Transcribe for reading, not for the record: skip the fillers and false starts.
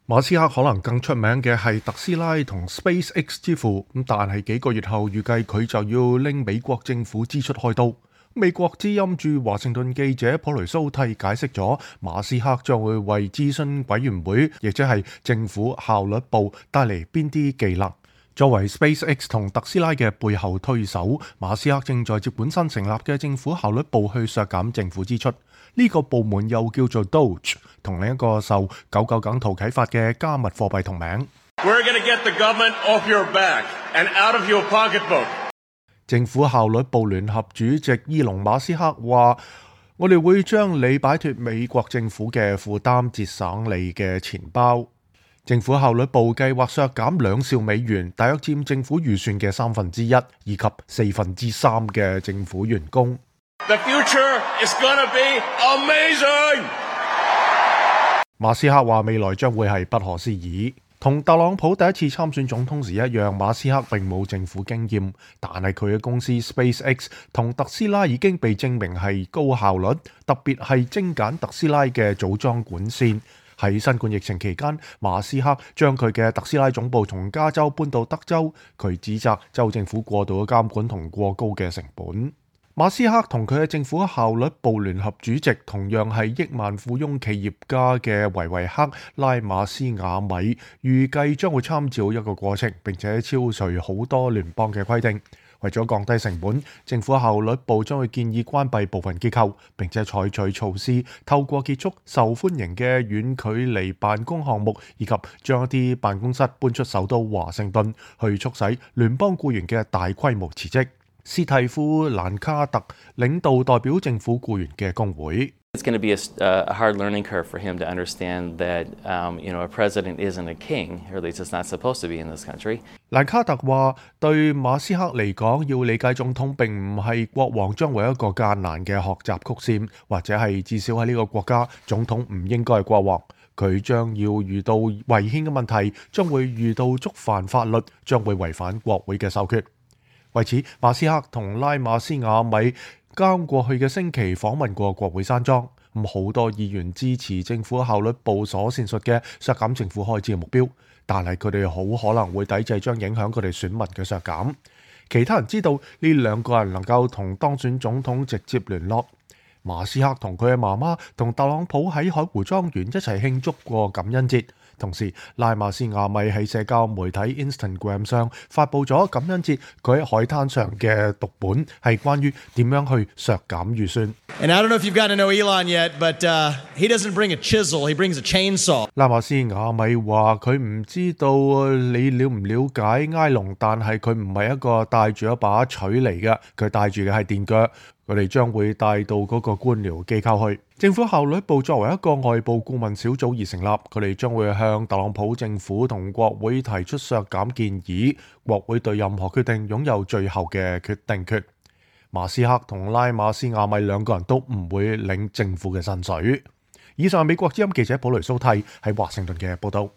馬斯克可能更出名嘅係特斯拉同 SpaceX 之父，但係幾個月後預計佢就要拎美國政府支出開刀。美國之音駐華盛頓記者普雷蘇蒂解釋咗，馬斯克將會為諮詢委員會，亦即係政府效率部帶嚟邊啲技能。作為 SpaceX 同特斯拉嘅背後推手，馬斯克正在接管新成立嘅政府效率部去削減政府支出。呢個部門又叫做 Doge， 同另一個受999圖啟發嘅加密貨幣同名。We're going to get the government off your back and out of your pocketbook。政府效率部聯合主席伊隆馬斯克話：我哋會將你擺脫美國政府嘅負擔，節省你嘅錢包。政府效率部計劃削減2兆美元，大約佔政府預算嘅1/3，以及3/4嘅政府員工。The future is gonna be amazing。馬斯克話未來將會係不可思議。同特朗普第一次參選總統時一樣，馬斯克並冇政府經驗，但係佢嘅公司 SpaceX 同特斯拉已經被證明係高效率，特別係精簡特斯拉嘅組裝管線。喺新冠疫情期間，馬斯克將佢嘅特斯拉總部從加州搬到德州，佢指責州政府過度嘅監管同過高嘅成本。馬斯克同佢嘅政府效率部聯合主席同樣係億萬富翁企業家嘅維維克拉馬斯瓦米，預計將會參照一個過程，並且超除好多聯邦嘅規定。為咗降低成本，政府效率部將會建議關閉部分機構，並且採取措施，透過結束受歡迎嘅遠距離辦公項目，以及將一啲辦公室搬出首都華盛頓，去促使聯邦僱員嘅大規模辭職。斯蒂夫·蘭卡特領導代表政府僱員嘅工會。It's going to be a hard learning curve for him to understand that, a president isn't a king, or at least it's not supposed to be in this country. 蘭卡特話：對馬斯克嚟講，要理解總統並唔係國王，將會有一個艱難嘅學習曲線，或者係至少喺呢個國家，總統唔應該係國王。佢將要遇到違憲嘅問題，將會遇到觸犯法律，將會違反國會嘅授決。為此，馬斯克同拉馬斯瓦米剛過去嘅星期訪問過國會山莊，好多議員支持政府效率部所闡述嘅削減政府開支嘅目標，但係佢哋好可能會抵制將影響佢哋選民嘅削減。其他人知道呢兩個人能夠同當選總統直接聯絡。馬斯克同佢嘅媽媽同特朗普喺海湖莊園一齊慶祝過感恩節。同時，拉馬斯瓦米喺社交媒體 Instagram 上發布咗感恩節佢喺海灘上嘅讀本，係關於點樣去削減預算。And I don't know if you've gotten to know Elon yet, but he doesn't bring a chisel, he brings a chainsaw. 拉馬斯瓦米話佢唔知道你了唔了解埃隆，但係佢唔係一個帶住一把錘嚟嘅，佢帶住嘅係電鋸。佢哋將會帶到嗰個官僚機構去。政府效率部作為一個外部顧問小組而成立，佢哋將會向特朗普政府同國會提出削減建議，國會對任何決定擁有最後嘅決定權。馬斯克同拉馬斯瓦米兩個人都唔會領政府嘅薪水。以上係美國之音記者普雷蘇蒂喺華盛頓嘅報道。